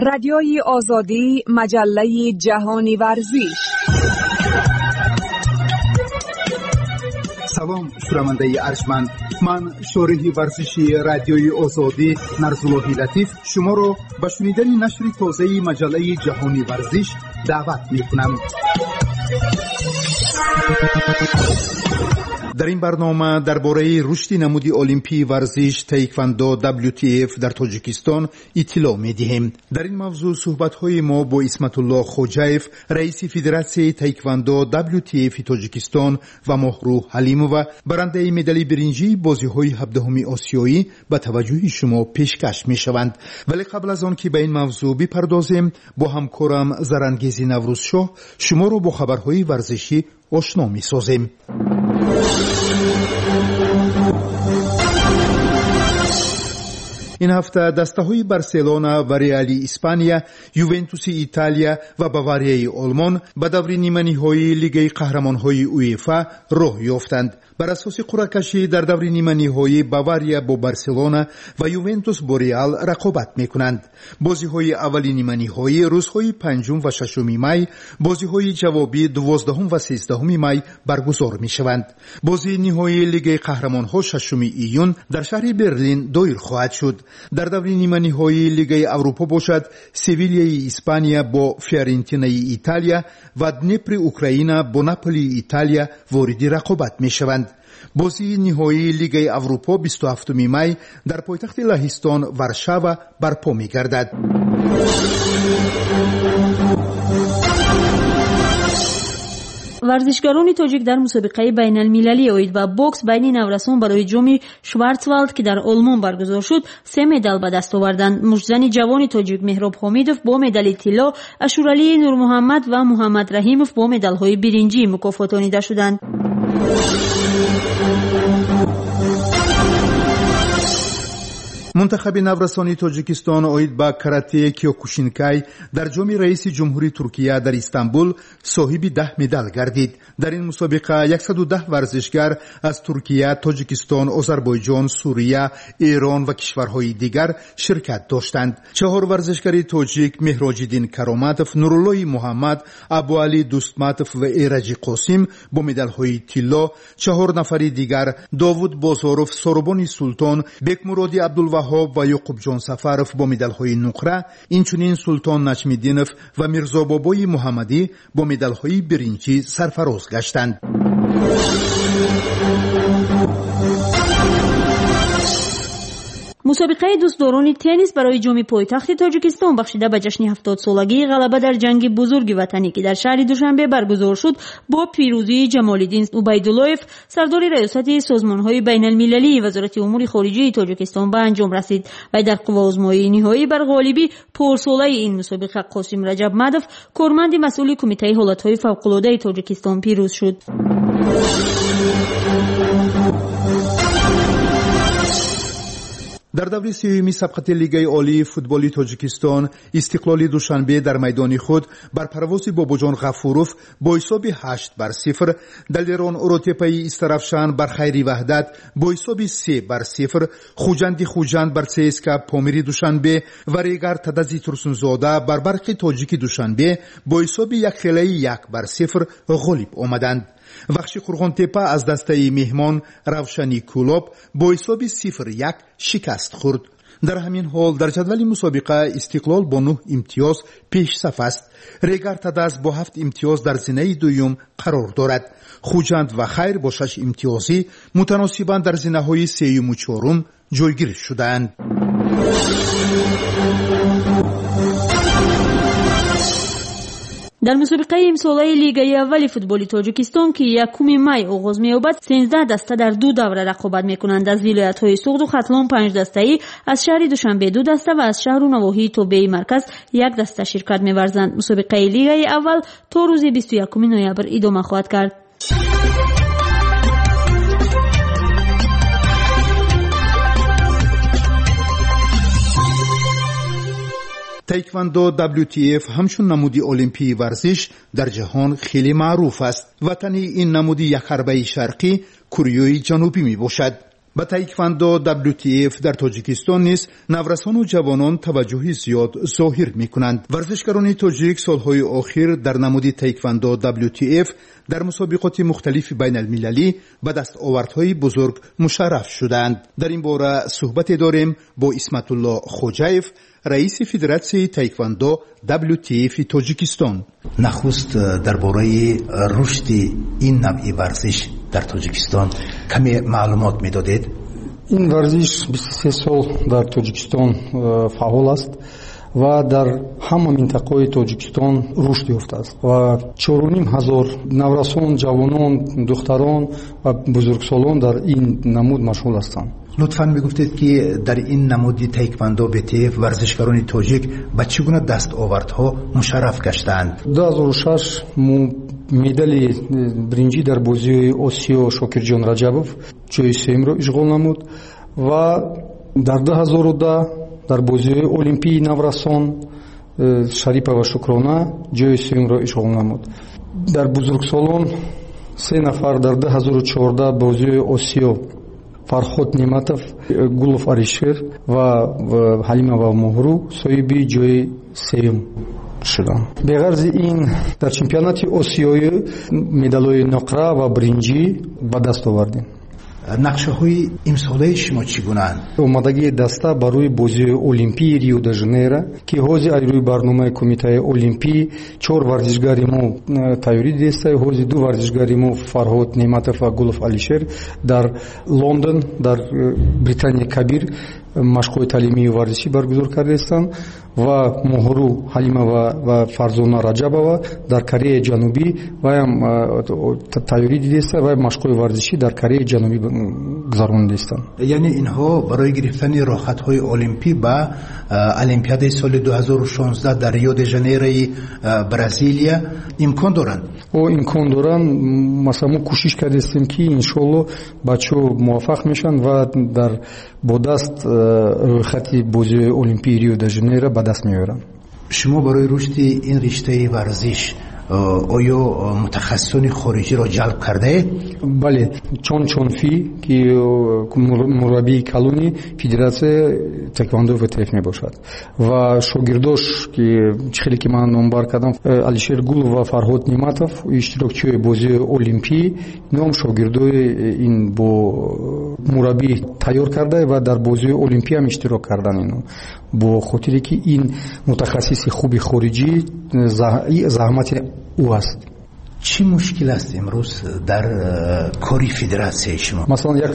Радиои Озодӣ, маҷаллаи ҷаҳони варзиш. Салом, шунавандаи арҷманд. Ман шориҳи варзиши Радиои Озодӣ Нарзуллоҳи Латиф шуморо ба шунидани нашри тозаи маҷаллаи ҷаҳони варзиш даъват мекунам. Дар ин барнома дар бораи рушди намуди олимпии варзиш таеквондо WTF дар Тоҷикистон иттилоъ медиҳем. Дар ин мавзӯъ суҳбатҳои мо бо Исматулло Хоҷаев, раиси Федератсияи таеквондо WTF Тоҷикистон ва Моҳрӯҳ Ҳалимова, барандаи медали биринҷии бозиҳои 17-уми осиёӣ ба таваҷҷӯҳи шумо пешкаш мешаванд. Вале қабл аз он ки ба ин мавзӯъ бипардозем, бо ҳамкорам Зарангези Наврӯзшоҳ шуморо бо хабарҳои варзишӣ ошно месозем. Ин ҳафта дастаҳои Барселона ва Реали Испания, Ювентуси Италия ва Баварияи Олмон ба даври ниманиҳоии Лигаи қаҳрамонҳои УЕФА роҳ ёфтанд. Бар асоси қуръакашӣ дар даври ниманиҳоӣ Бавария бо Барселона ва Ювентус бо Реал рақобат мекунанд. Бозиҳои аввали ниманиҳоӣ рӯзҳои 5 ва 6 май, бозиҳои ҷавобӣ 12 ва 13 май баргузор мешаванд. Бозии ниҳоии Лигаи қаҳрамонҳо 6 июн дар шаҳри Берлин доир хоҳад шуд. Дар даври ниманиҳоии Лигаи Аврупо бошад, Севилияи Испания бо Фиорентинаи Италия ва Днепри Украина бо Наполии Италия вориди рақобат мешаванд. Бозии ниҳоии Лигаи Аврупо 27 май дар пойтахти Лаҳистон Варшава барпо мегардад. Варзишгарони тоҷик дар мусобиқаи байналмилалӣ оид ба бокс байни наврасон барои ҷоми Шварцвалд, ки дар Олмон баргузор шуд, 3 медал ба даст оварданд. Муштзани ҷавони тоҷик Меҳроб Ҳомидов бо медали тилло, Ашуралии Нурмуҳаммад ва Муҳаммад Раҳимов бо медалҳои биринҷӣ мукофотонида шуданд. Мунтахаби наврасони Тоҷикистон оид ба карате киокушинкай дар ҷоми раиси ҷумҳури Туркия дар Истанбул соҳиби 10 медал гардид. Дар ин мусобиқа 110 варзишгар аз Туркия, Тоҷикистон, Озарбойҷон, Сурия, Эрон ва кишварҳои дигар ширкат доштанд. 4 варзишгари тоҷик Меҳроҷиддин Кароматов, Нуруллои Муҳаммад, Абуалӣ Дустматов ва Эраҷи Қосим бо медалҳои тилло, 4 нафари дигар Довуд Бозоров, Соробони Султон, Бекмуроди Абдулваҳоб ва Ёқубҷон Сафаров бо медалҳои нуқра, инчунин Султон Наҷмиддинов ва Мирзобобои Муҳаммадӣ бо медалҳои биринҷӣ сарфароз гаштанд. Мусобиқаи дӯстдорони теннис барои ҷоми пойтахти Тоҷикистон бахшида ба ҷашни 70-солагии ғалаба дар ҷанги бузурги ватанӣ, ки дар шаҳри Душанбе баргузор шуд, бо пирӯзии Ҷамолиддин Убайдуллоев, сардори раёсати созмонҳои байналмилалии Вазорати умури хориҷии Тоҷикистон ба анҷом расид. Вай дар қувваозмоии ниҳоӣ бар ғолиби порсолаи ин мусобиқа Қосим Раҷабмадов, корманди масъули Кумитаи ҳолатҳои фавқулодаи Тоҷикистон, пирӯз шуд. Дар даври сеюми сабқати Лигаи олии футболи Тоҷикистон Истиқлоли Душанбе дар майдони худ бар парвози Бобоҷон Ғафуров бо ҳисоби 8-0, Далерон Уротепаи Истаравшан бар Хайри Ваҳдат бо ҳисоби 3-0, Хуҷанди Хуҷанд бар ЦСКА Помири Душанбе ва Регар Тадази Турсунзода бар Барқи Тоҷики Душанбе бо ҳисоби якхелаи 1-0 ғолиб омаданд. Вахши Қурғонтепа аз дастаи меҳмон Равшани Кӯлоб бо ҳисоби 0-1 шикаст хӯрд. Дар ҳамин ҳол дар ҷадвали мусобиқа Истиқлол бо 9 имтиёз пешсаф аст. Регар Тадаз бо 7 имтиёз дар зинаи дуюм қарор дорад. Хуҷанд ва Хайр бо 6 имтиёзӣ мутаносибан дар зинаҳои сеюму чорум ҷойгир шудаанд. Дар мусобиқаи имсолаи Лигаи аввали футболи Тоҷикистон, ки 1 май оғоз меёбад, 13 даста дар 2 давра рақобат мекунанд. Аз вилоятҳои Суғду Хатлон 5 дастаӣ, аз шаҳри Душанбе 2 даста ва аз шаҳру навоҳии тобеи марказ 1 даста ширкат меварзанд. Мусобиқаи Лигаи аввал то рӯзи 21 ноябр идома хоҳад кард. Таеквондо WTF ҳамчун намуди олимпии варзиш дар ҷаҳон хеле маъруф аст. Ватани ин намуди якҳарбаи шарқӣ Кореяи Ҷанубӣ мебошад. Ба таеквондо WTF дар Тоҷикистон низ наврасону ҷавонон таваҷҷӯҳи зиёд зоҳир мекунанд. Варзишгарони тоҷик солҳои охир дар намуди таеквондо WTF дар мусобиқоти мухталифи байналмилалӣ ба дастовардҳои бузург мушарраф шудаанд. Дар ин бора суҳбате дорем бо Исматулло Хоҷаев, раиси Федератсияи таеквондо WTF Тоҷикистон. Нахуст дар бораи рушди ин навъи варзиш дар Тоҷикистон каме маълумот медодед? Ин варзиш 23 сол дар Тоҷикистон фаъол аст ва дар ҳама минтақаҳои Тоҷикистон рушд ёфтааст ва 4500 наврасон, ҷавонон, духтарон ва бузургсолон дар ин намуд машғул ҳастанд. Лутфан мегуфтед, ки дар ин намуди таеквондо ВТФ варзишгарони тоҷик ба чӣ гуна дастовардҳо мушарраф гаштаанд? 2006 мо медали биринҷӣ дар бозиҳои Осиё Шокирҷон Раҷабов ҷои сеюмро ишғол намуд ва дар 2010 дар бозиҳои олимпии наврасон Шарипова Шукрона ҷои сеюмро ишғол намуд. Дар бузургсолон се нафар дар 2014 бозиҳои Осиё Фарход Нематов, Гулов Алишер ва Ҳалимова Моҳру соҳиби ҷои сеюм шуданд. Беғарзи ин дар чемпионати осиёӣ медалҳои нуқра ва биринҷӣ ба даст овардем. Нақшаҳои имсолаи шумо чӣ гунаанд? Омодагии даста барои бозиҳои олимпии Рио де Жанейро, ки ҳозир аз рӯи барномаи Кумитаи олимпӣ чор варзишгари мо тайёрӣ дидаста. Ҳозир ду варзишгари мо, Фарҳод Неъматов ва Гулов Алишер, дар Лондон, дар Британияи Кабир машқҳои таълимию варзишӣ баргузор кардаистанд ва Моҳру Ҳалимова ва Фарзона Раҷабова дар Кореяи Ҷанубӣ ваям тайёрӣ дидаиста ва машқҳои варзишӣ дар Кореяи Ҷанубӣ гузаронидаистанд. Яъне инҳо барои гирифтани роҳхатҳои олимпӣ ба Олимпиадаи соли 2016 дар Рио де Жанейрои Бразилия имкон доранд? О, имкон доранд. Масалан, мо кӯшиш кардастем, ки иншоалло бачаҳо муваффақ мешаванд ва дар бо даст рӯйхати бозиҳои олимпии Рио де Жанейро ба даст меоранд. Шумо барои рушди ин риштаи варзиш оё мутахассисони хориҷиро ҷалб кардаед? Бале, Чон Чонфи, ки мураббии калони Федератсияи таеквондо ВТФ мебошад, ва шогирдош, ки чӣ хеле ки ман номбар кардам, Алишер Гулов ва Фарҳод Неъматов, иштирокчиҳои бозиҳои олимпӣ, ном шогирдои ин бо мураббӣ тайёр карда ва дар бозиҳои олимпӣ ҳам иштирок кардан ино, бо хотире ки ин мутахассиси хуби хориҷӣ заҳмати ӯ аст. Чӣ мушкил аст имрӯз дар кори федератсияи шумо? Масалан, як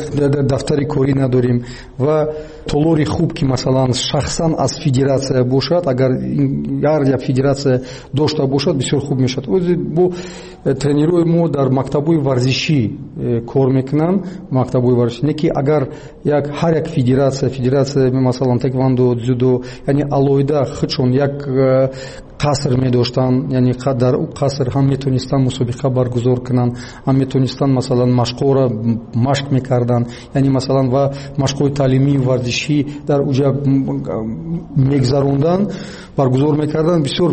дафтари корӣ надорем ва толори хуб, ки масалан шахсан аз федератсия бошад, агар ҳар як федератсия дошта бошад, бисёр хуб мешавад. Бо тренерҳои мо дар мактабҳои варзишӣ кор мекунанд, мактабҳои варзишӣ не ки агар як ҳар як федератсия масалан таеквондо, дзюдо, яъне алоҳида худшон як қаср медоштанд, яъне дар ӯ қаср ҳам метонистанд мусобиқа баргузор кунанд, ҳам метонистанд масалан машқҳоро машқ мекарданд, яъне масалан ва машқҳои таълимию варзишӣ дар уҷа мегзаронданд, баргузор мекарданд, бисёр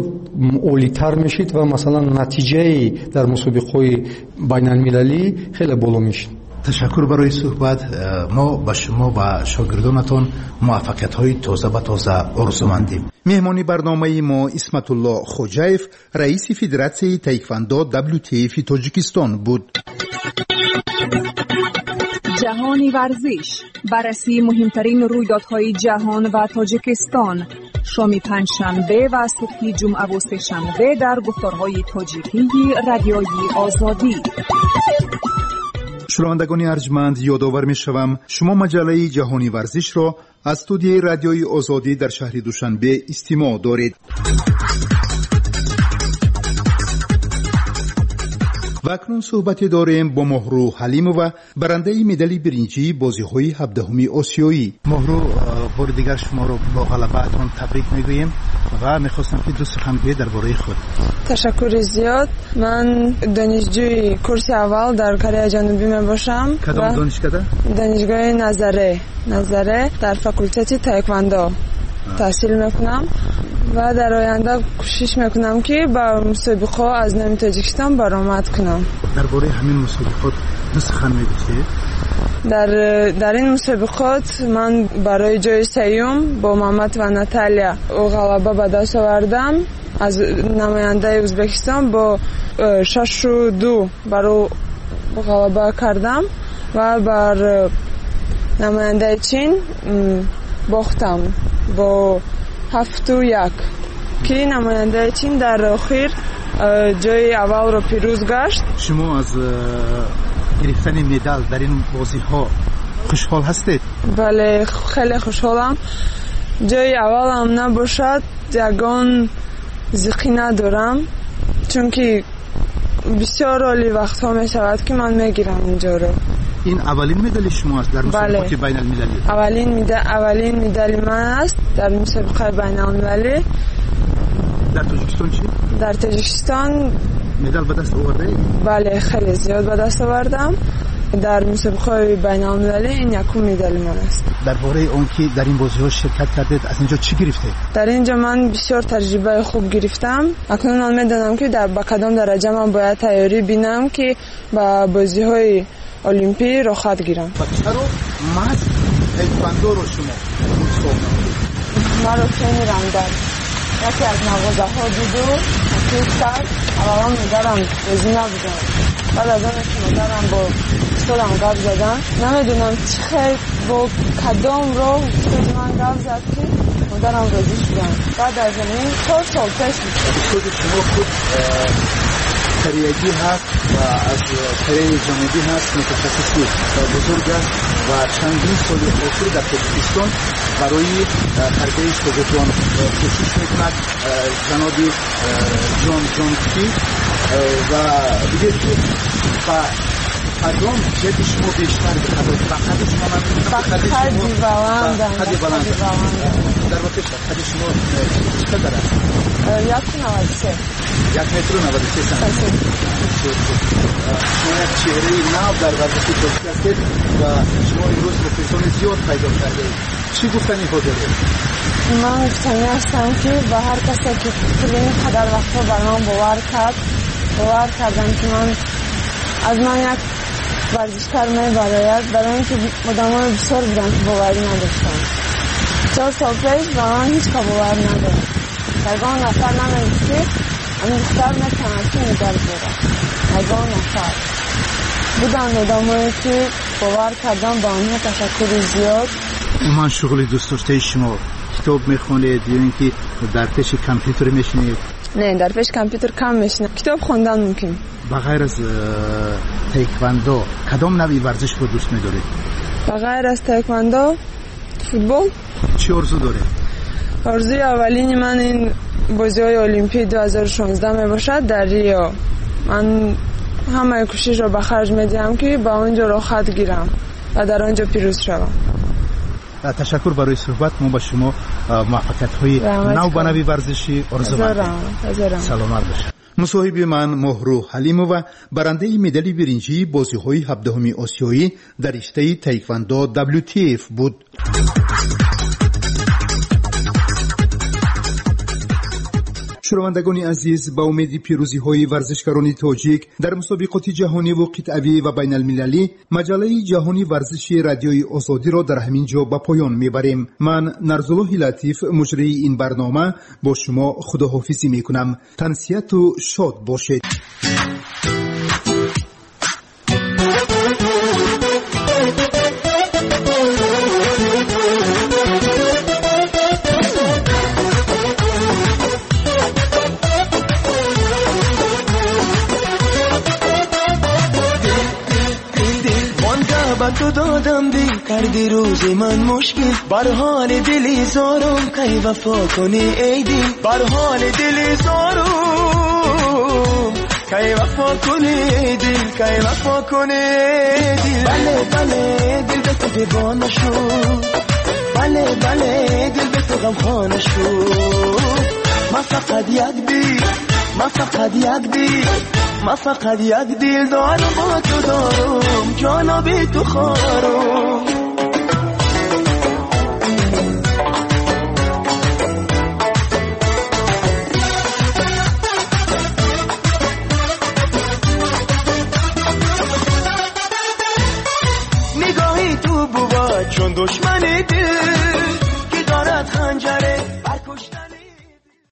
олитар мешид ва масалан натиҷаи дар мусобиқаҳои байналмилалӣ хеле боло мешид. Ташаккур барои суҳбат. Мо ба шумо ва шогирдонатон муваффақиятҳои тоза ба тоза орзумандем. Меҳмони барномаи мо Исматулло Хоҷаев, раиси Федератсияи таеквондо WTF Тоҷикистон буд. Ҷаҳони варзиш, баррасии муҳимтарин рӯйдодҳои ҷаҳон ва Тоҷикистон, шоми панҷшанбе ва субҳи ҷумъаву сешанбе дар гуфторҳои тоҷикии Радиои Озодӣ. Шунавандагони арҷманд, ёдовар мешавам, шумо маҷаллаи Ҷаҳони варзишро аз студияи Радиои Озодӣ дар шаҳри Душанбе истимоъ доред. Ва акнун суҳбате дорем бо Моҳру Ҳалимова, барандаи медали биринҷии бозиҳои 17-уми осиёӣ. Моҳру, бори дигар шуморо бо ғалабаатон табрик мегӯем ва мехостам, ки ду сухан гӯед дар бораи худ. Ташаккури зиёд. Ман донишҷӯи курси аввал дар Кореяи Ҷанубӣ мебошам. Кадом донишкада? Донишгоҳи Назаре, дар факултети таеквондо таҳсил мекунам ва дар оянда кӯшиш мекунам, ки ба мусобиқаҳо аз номи Тоҷикистон баромад кунам. Дар бораи ҳамин мусобиқот Ду сухан мегуфтед? Дар ин мусобиқот ман барои ҷои сеюм бо Мамат ва Наталия ғалаба ба даст овардам. Аз намояндаи Ӯзбекистон бо 6-2 бар ӯ ғалаба кардам ва бар намояндаи Чин бохтам бо 7-1, ки намояндаи Чин дар охир ҷои аввалро пирӯз гашт. Шумо аз гирифтани медал дар ин бозиҳо хушҳол ҳастед? Бале, хеле хушҳолам. Ҷои аввалам набошад, ягон зиқӣ надорам, чунки бисёр оли вақтҳо мешавад, ки ман мегирам инҷоро. Ин аввалин медали шумо аст дар мусобиқоти байналмилалӣ? Аввалин медали ман аст дар мусобиқаи байналмилалӣ. Дар Тоҷикистон чӣ? Дар Тоҷикистон медал ба даст овардаед? Бале, хеле зиёд ба даст овардам. Дар мусобиқаҳои байналмилалӣ ин якум медали ман аст. Дар бораи он ки дар ин бозиҳо ширкат кардед, аз инҷо чӣ гирифтед? Дар инҷо ман бисёр таҷрибаи хуб гирифтам. Акнун ман медонам, ки ба кадом дараҷа ман бояд тайёрӣ бинам, ки ба бозиҳои олимпӣ роҳхат гирам. Ва чаро маҳз таеквондоро шумо интихоб намудед? Маро тренерам дар яке аз мағозаҳо диду таклиф кард. Аввалан модарам розӣ набуданд. Баъд аз оне ки модарам бо устодам гап задан, намедонам чӣ хел, бо кадом роҳ устоди ман гап зад, ки модарам розӣ шуданд. Баъд аз ин 4 сол пеш. Устоди шумо худ кореягӣ ҳаст ва аз Кореяи Ҷанубӣ ҳаст, мутахассиси бузург аст ва чандин соли охир дар Тоҷикистон барои тарбияи шогирдон кӯшиш мекунад. Ҷаноби Ҷон Ҷонки, ва бигӯед, ки ба кадом ҷиҳати шумо бештар диққат, ба қади шумо? Ба қади баландам. Қади баланд. Дар воқеъ қади шумо чӣ қадар аст? 1,93. 1 метру 93 сантиметр. Шумо як чеҳраи нав дар варзиши тоҷик ҳастед ва шумо имрӯз мухлисони зиёд пайдо кардаед. Чӣ гуфтаниҳо доред? Ман гуфтанӣ ҳастам, ки ба ҳар касе, ки тӯли ин қадар вақтҳо бар ман бовар кард, бовар кардам, ки ман аз ман як варзишкар мебарояд, барои ин ки одамои бисёр буданд, ки боварӣ надоштанд. 4 сол пеш ба ман ҳеҷ ка бовар надошт. Ягон нафар намегуфт, ки ҳамин духтар метавонад, ки медал биёрад. Ягон нафар. Буданд одамое, ки бовар кардам, ба онҳо ташаккури зиёд. Умуман, шуғли дӯстдоштаи шумо, китоб мехонед ё ин ки дар пеши компютер мешинед? Не, дар пеши компютер кам мешинам. Китоб хондан мумкин. Ба ғайр аз таеквондо кадом навъи варзишро дӯст медоред? Ба ғайр аз таеквондо футбол. Чӣ орзу доред? Орзуи аввалини ман ин бозиҳои олимпии 2016 мебошад дар Рио. Ман ҳамаи кӯшишро ба харҷ медиҳам, ки ба он ҷо роҳхат гирам ва дар он ҷо пирӯз шавам. Ташаккур барои суҳбат. Мо ба шумо муваффақиятҳои нав ба нави варзишӣ орзумандем. Саломат бошед. Мусоҳиби ман Моҳрӯ Ҳалимова, барандаи медали биринҷии бозиҳои 17-уми осиёӣ дар риштаи таеквондо WTF буд. Шунавандагони азиз, ба умеди пирӯзиҳои варзишгарони тоҷик дар мусобиқоти ҷаҳониву қитъавӣ ва байналмилалӣ, маҷаллаи ҷаҳони варзиши Радиои Озодиро дар ҳамин ҷо ба поён мебарем. Ман, Нарзуллоҳи Латиф, муҷрии ин барнома, бо шумо худоҳофизӣ мекунам. Тансиҳату шод бошед. Ба ту додам дил, кардӣ рӯзи ман мушкил. Бар ҳоли дили зорам кай вафо кунӣ, эй дил? Бар ҳоли дили зорам кай вафо кунӣ, эй дил? Кай вафо кунӣ, эй дил? Бале, бале, дил ба ту девона шуд. Бале, бале, дил ба ту ғамхона шуд. Ман фақат як дил, ман фақат як дил, ман фақат як дил дорам, бо ту дорам, ҷоно, бе ту хорам.